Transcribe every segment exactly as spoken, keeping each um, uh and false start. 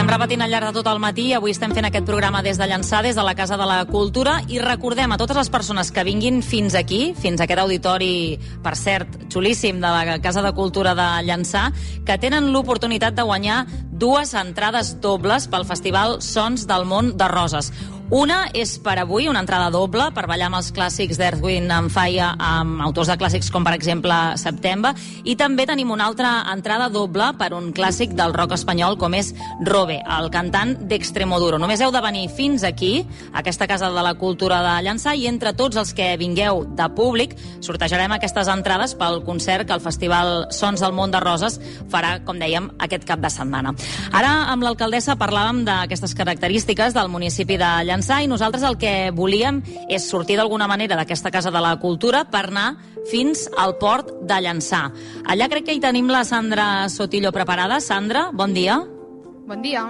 estem repetint al llarg de tot el matí. Avui estem fent aquest programa des de Llançà, des de la Casa de la Cultura, i recordem a totes les persones que vinguin fins aquí, fins a aquest auditori, per cert, xulíssim, de la Casa de Cultura de Llançà, que tenen l'oportunitat de guanyar dues entrades dobles pel Festival Sons del Món de Roses. Una és per avui, una entrada doble per ballar amb els clàssics d'Earth, Wind and Fire, amb autors de clàssics com, per exemple, September, i també tenim una altra entrada doble per un clàssic del rock espanyol com és Robe, el cantant d'Extremoduro. Només heu de venir fins aquí, a aquesta Casa de la Cultura de Llançà, i entre tots els que vingueu de públic sortejarem aquestes entrades pel concert que el Festival Sons del Món de Roses farà, com dèiem, aquest cap de setmana. Ara, amb l'alcaldessa, parlàvem d'aquestes característiques del municipi de Llançà, i nosaltres el que volíem és sortir d'alguna manera d'aquesta Casa de la Cultura per anar fins al port de Llançà. Allà crec que hi tenim la Sandra Sotillo preparada. Sandra, bon dia. Bon dia.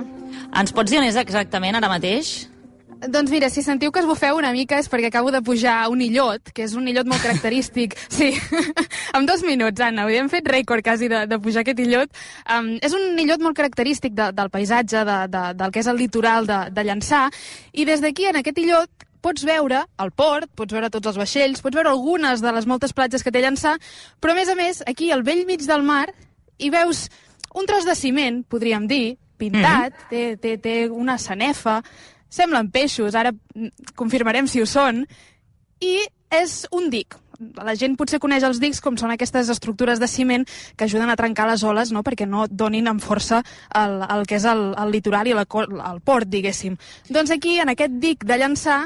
Ens pots dir on és exactament ara mateix? Doncs mira, si sentiu que es bufeu una mica és perquè acabo de pujar un illot, que és un illot molt característic. Sí, en dos minuts, Anna, hem fet rècord quasi de, de pujar aquest illot. Um, és un illot molt característic de, del paisatge, de, de, del que és el litoral de, de Llançà, i des d'aquí, en aquest illot, pots veure el port, pots veure tots els vaixells, pots veure algunes de les moltes platges que té Llançà, però a més a més, aquí al bell mig del mar, hi veus un tros de ciment, podríem dir, pintat, mm-hmm. té, té, té una sanefa, semblen peixos, ara confirmarem si ho són, i és un dic. La gent potser coneix els dics com són aquestes estructures de ciment que ajuden a trencar les oles, no?, perquè no donin amb força el, el que és el, el litoral i la, el port, diguéssim. Doncs aquí, en aquest dic de Llançà,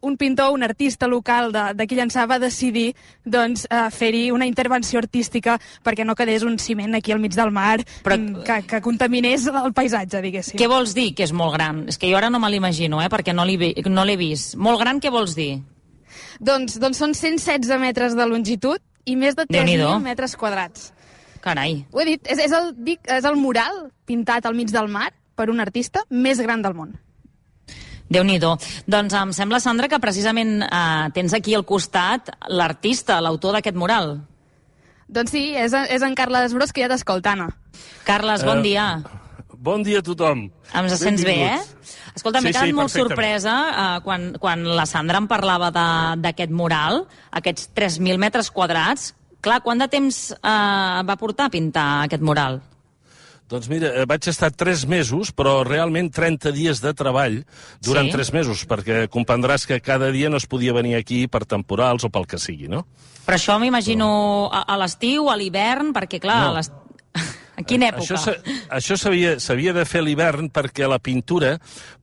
un pintor, un artista local d'aquí Llançà va decidir doncs, eh, fer-hi una intervenció artística perquè no quedés un ciment aquí al mig del mar. Però que, que contaminés el paisatge, diguéssim. Què vols dir que és molt gran? És que jo ara no me l'imagino, eh, perquè no l'he no l'he vist. Molt gran, què vols dir? Doncs, doncs són cent setze metres de longitud i més de tres mil metres quadrats. Carai. Ho he dit, és, és, el, dic, és el mural pintat al mig del mar per un artista més gran del món. Déu-n'hi-do. Doncs em sembla, Sandra, que precisament eh, tens aquí al costat l'artista, l'autor d'aquest mural. Doncs sí, és, és en Carles Bros, que ja t'escolta, Anna. Carles, bon uh, dia. Bon dia a tothom. Em sents bé, eh? Escolta, m'he sí, quedat sí, molt sorpresa eh, quan, quan la Sandra em parlava d'aquest mural, aquests tres mil metres quadrats. Clar, quant de temps eh, va portar a pintar aquest mural? Doncs mira, vaig estar tres mesos, però realment trenta dies de treball durant sí? tres mesos, perquè comprendràs que cada dia no es podia venir aquí per temporals o pel que sigui, no? Però això m'imagino a, a l'estiu, a l'hivern, perquè clar, no. a a quina època? Això s'havia de fer a l'hivern perquè la pintura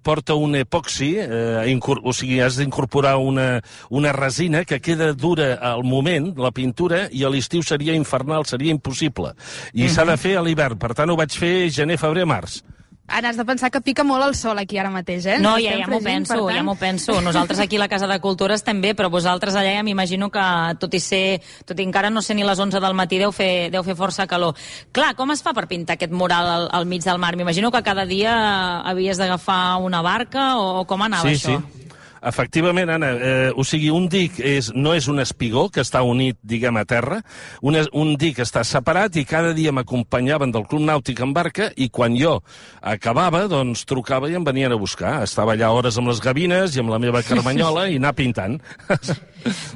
porta un epoxi, eh, o sigui, has d'incorporar una, una resina que queda dura al moment, la pintura, i a l'estiu seria infernal, seria impossible. I mm-hmm. s'ha de fer a l'hivern, per tant ho vaig fer gener, febrer, març. Ara has de pensar que pica molt el sol aquí ara mateix, eh? No, ja, ja m'ho penso, tant... ja m'ho penso. Nosaltres aquí a la Casa de Cultura estem bé, però vosaltres allà ja m'imagino que, tot i ser, tot i encara no ser ni les onze del matí, deu fer, deu fer força calor. Clar, com es fa per pintar aquest mural al, al mig del mar? M'imagino que cada dia havies d'agafar una barca, o com anava sí, això? Sí, sí. Efectivament, Anna, eh, o sigui, un dic és, no és un espigó que està unit, diguem, a terra, un, un dic està separat i cada dia m'acompanyaven del Club Nàutic en barca i quan jo acabava, doncs trucava i em venien a buscar. Estava allà hores amb les gavines i amb la meva carmanyola i anar pintant.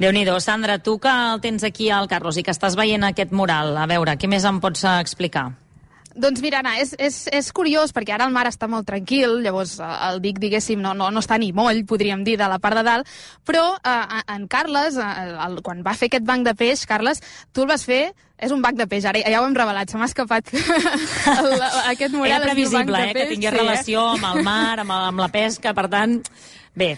Déu-n'hi-do. Sandra, tu que el tens aquí al Carlos i que estàs veient aquest mural, a veure, què més em pots explicar? Doncs mira, Anna, és, és, és curiós perquè ara el mar està molt tranquil, llavors el dic, diguéssim, no, no, no està ni moll, podríem dir, de la part de dalt, però eh, en Carles, eh, el, quan va fer aquest banc de peix, Carles, tu el vas fer, és un banc de peix, ara ja ho hem revelat, se m'ha escapat el, aquest mural. Era previsible, eh, que tingués sí, relació amb el mar, amb, amb la pesca, per tant, bé.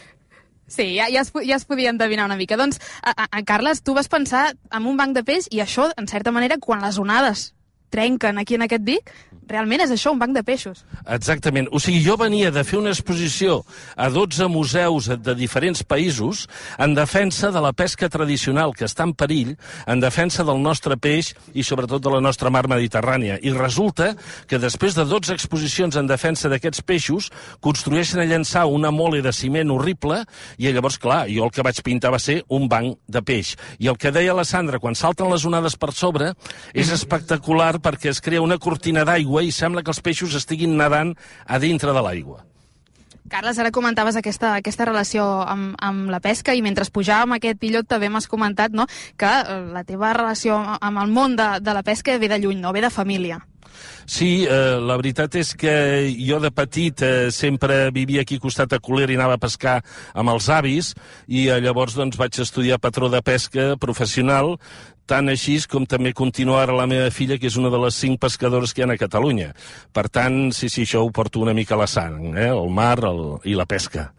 Sí, ja, ja, es, ja es podia endevinar una mica. Doncs, a, a, Carles, tu vas pensar en un banc de peix i això, en certa manera, quan les onades trenquen aquí en aquest dic, realment és això, un banc de peixos. Exactament. O sigui, jo venia de fer una exposició a dotze museus de diferents països en defensa de la pesca tradicional, que està en perill, en defensa del nostre peix i sobretot de la nostra mar Mediterrània. I resulta que després de dotze exposicions en defensa d'aquests peixos, construeixen a Llançà una mole de ciment horrible i llavors, clar, jo el que vaig pintar va ser un banc de peix. I el que deia la Sandra, quan salten les onades per sobre, és espectacular perquè es crea una cortina d'aigua l'aigua i sembla que els peixos estiguin nedant a dintre de l'aigua. Carles, ara comentaves aquesta, aquesta relació amb, amb la pesca i mentre pujàvem aquest illot també m'has comentat, no?, que la teva relació amb el món de, de la pesca ve de lluny, no? Ve de família. Sí, eh, la veritat és que jo de petit eh, sempre vivia aquí al costat de Colera i anava a pescar amb els avis i eh, llavors doncs, vaig estudiar patró de pesca professional, tant així com també continuar ara la meva filla, que és una de les cinc pescadores que hi ha a Catalunya. Per tant, sí, sí, això ho porto una mica a la sang, eh? El mar el, i la pesca.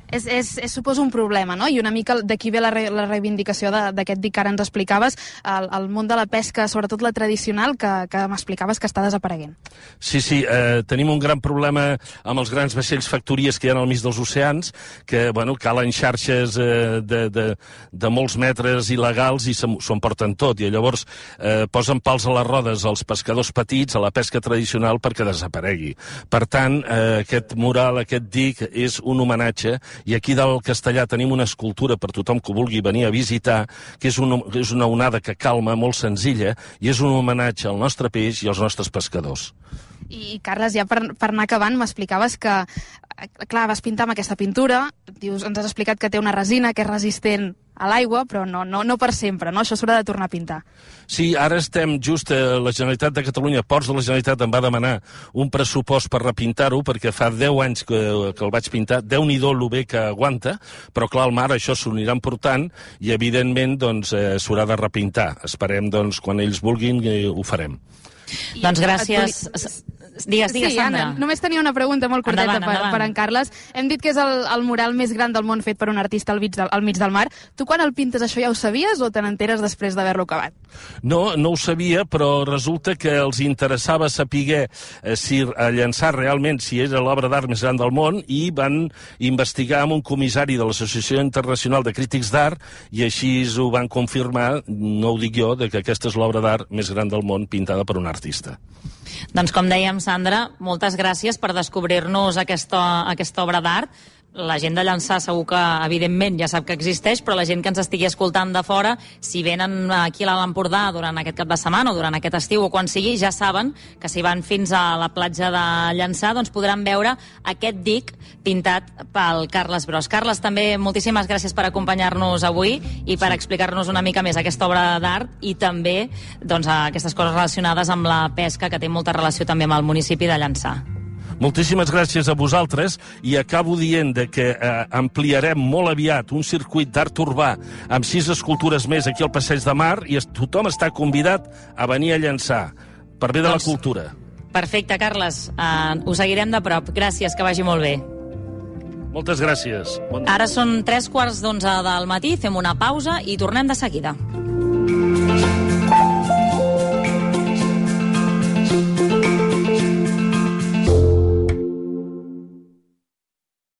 És, és, és, suposo, un problema, no? I una mica d'aquí ve la, re, la reivindicació d'aquest dic que ara ens explicaves, el, el món de la pesca, sobretot la tradicional, que, que m'explicaves que està desapareguent. Sí, sí, eh, tenim un gran problema amb els grans vaixells factories que hi ha al mig dels oceans, que, bueno, calen xarxes eh, de, de, de molts metres il·legals i s'ho emporten tot, i llavors eh, posen pals a les rodes als pescadors petits, a la pesca tradicional, perquè desaparegui. Per tant, eh, aquest mural, aquest dic, és un homenatge. I aquí dalt al Castellà tenim una escultura per tothom que vulgui venir a visitar, que és una, és una onada que calma, molt senzilla, i és un homenatge al nostre peix i als nostres pescadors. I, Carles, ja per, per anar acabant, m'explicaves que, clar, vas pintar amb aquesta pintura, dius, ens has explicat que té una resina que és resistent a l'aigua, però no, no, no per sempre, no? Això s'haurà de tornar a pintar. Sí, ara estem just a la Generalitat de Catalunya, Ports de la Generalitat em va demanar un pressupost per repintar-ho, perquè fa deu anys que, que el vaig pintar, Déu-n'hi-do lo bé que aguanta, però clar, al mar això s'ho anirà important i evidentment doncs eh, s'haurà de repintar. Esperem, doncs, quan ells vulguin, eh, ho farem. I doncs gràcies. Digues, digues, sí, Sandra. Anna, només tenia una pregunta molt curteta endavant, per, endavant. per en Carles. Hem dit que és el, el mural més gran del món fet per un artista al mig, del, al mig del mar. Tu quan el pintes això ja ho sabies o te n'enteres després d'haver-lo acabat? No, no ho sabia, però resulta que els interessava saber eh, si a llançar realment si era l'obra d'art més gran del món i van investigar amb un comissari de l'Associació Internacional de Crítics d'Art i així ho van confirmar, no ho dic jo, de que aquesta és l'obra d'art més gran del món pintada per un artista. Doncs com dèiem, Sandra, moltes gràcies per descobrir-nos aquesta, aquesta obra d'art. La gent de Llançà segur que, evidentment, ja sap que existeix, però la gent que ens estigui escoltant de fora, si venen aquí a l'Alt Empordà durant aquest cap de setmana o durant aquest estiu o quan sigui, ja saben que si van fins a la platja de Llançà doncs podran veure aquest dic pintat pel Carles Bros. Carles, també moltíssimes gràcies per acompanyar-nos avui i per explicar-nos una mica més aquesta obra d'art i també doncs, aquestes coses relacionades amb la pesca, que té molta relació també amb el municipi de Llançà. Moltíssimes gràcies a vosaltres i acabo dient de que eh, ampliarem molt aviat un circuit d'art urbà amb sis escultures més aquí al Passeig de Mar i es, tothom està convidat a venir a Llançà per bé de doncs, la cultura. Perfecte, Carles. Uh, ho seguirem de prop. Gràcies, que vagi molt bé. Moltes gràcies. Bon... Ara són tres quarts d'onze del matí, fem una pausa i tornem de seguida.